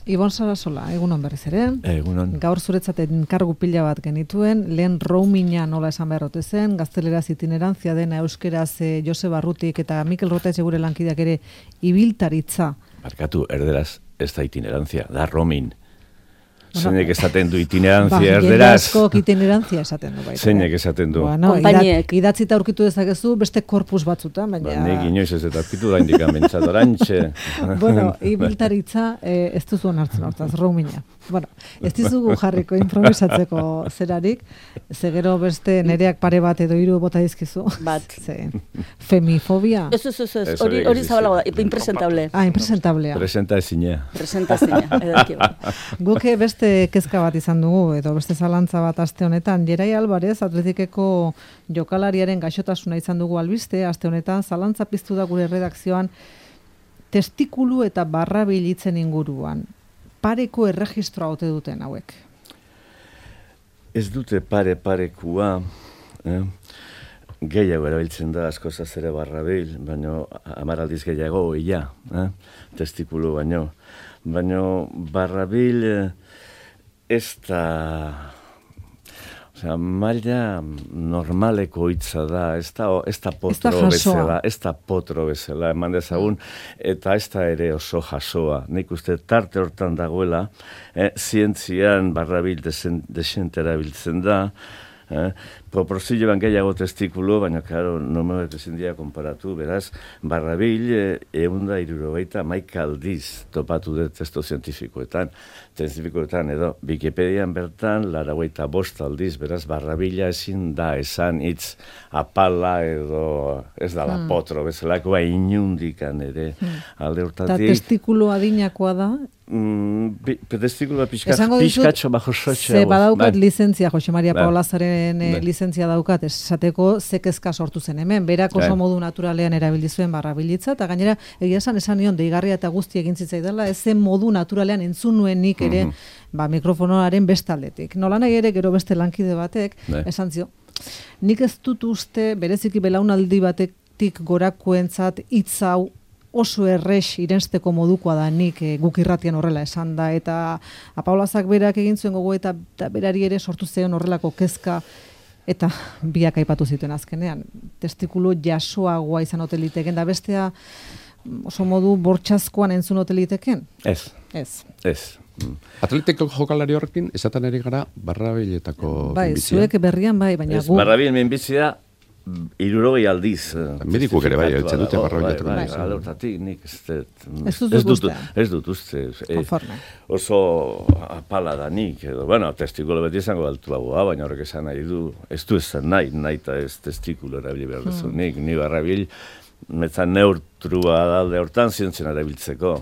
Ibon Sarasola, egunon berriz ere. Egunon. Gaur zuretzaten kargu pila bat genituen, lehen roaminga nola esan beharrote zen, gazteleraz itinerantzia dena euskeraz Joseba Arrutik eta Mikel Rotez gure lankideak ere ibiltaritza. Barkatu, erderaz ez da itinerantzia, da roaming. Zeinek esaten du itinerantzia erderaz. Jende askok itinerantzia esaten du baita. Zeinek esaten du. Bueno, idatzita aurkitu dezakezu beste korpus batzutan, baina... Nik inoiz ez eta aurkitu da indikan bentsat orantxe. Bueno, ibiltaritza ez duzu onartzen hortaz, roaminga. Bueno, ez dizugu jarriko improvisatzeko zerarik, zegero beste nereak pare bat edo hiru bota dizkizu. Bat. Femifobia? Ez, hori zabalago da, impresentable. Impresentablea. Presentazina. Presentazina, Guke beste kezka bat izan dugu, edo beste zalantza bat aste honetan. Jerai Alvarez, Atletikeko jokalariaren gaixotasuna izan dugu albiste, aste honetan zalantza piztu da gure redakzioan testikulu eta barrabil hitzen inguruan. Pareko erregistroa ote duten hauek? Ez dute parekua, gehiago erabiltzen da asko zazere barrabil, baina 10 aldiz gehiago ia, testikulu baino. Baina barrabil ez da, maila normaleko hitza da, ez da potro bezala, eman dezagun, eta ez da ere oso jasoa. Nik uste tarte hortan dagoela, zientzian barrabil desente erabiltzen da, proporzioan gehiago testikulu, baina, klaro, normalek ezin dira konparatu, beraz, barrabil 170 aldiz topatu dut testo zientifikoetan edo, Wikipedian bertan, 85 aldiz, beraz, barrabila ezin da esan hitz apala edo ez dala potro, bezalakoa inundikan ere alde hortatik. Eta testikulu adinakoa da? Testikulu pixkatxo bajo sotxe. Ze badaukat lizentzia, Jose Maria Paolazaren lizentzia daukat, esateko zekezka sortu zen hemen, berak oso modu naturalean erabildizuen barrabilitza, eta gainera egia esan nion deigarria eta guzti egin zitzaidala, ez zen modu naturalean entzun nuen nik ere mikrofonoaren bestaldetik. Nola nahi ere gero beste lankide batek, esan zio, nik ez dut uste bereziki belaunaldi batetik gorakoentzat hitz hau oso errex irensteko modukoa da nik guk irratian horrela esan da, eta Paolazak berak egin zuen gogo eta berari ere sortu zion horrelako kezka, eta biak aipatu zituen azkenean. Testikulu jasoagoa izan ote liteken, da bestea oso modu bortxazkoan entzun ote liteken? Ez. Atletiko jokalari horrekin, esaten ari gara barrabiletako bai, minbizia. Zuek berrian bai, baina gu... Barrabil minbizia 60 aldiz. Medikuak ere bai, eltzen dute barrabiletako minbizia. Alortatik nik ez dut uste. Oso apala da nik, edo, bueno, testikulo beti izango altuagoa, baina horrek esan nahi du, ez du esan nahi eta ez testikulo erabili behar duzu. Ni barrabil, metzan neutrua dalde hortan zientzien erabiltzeko.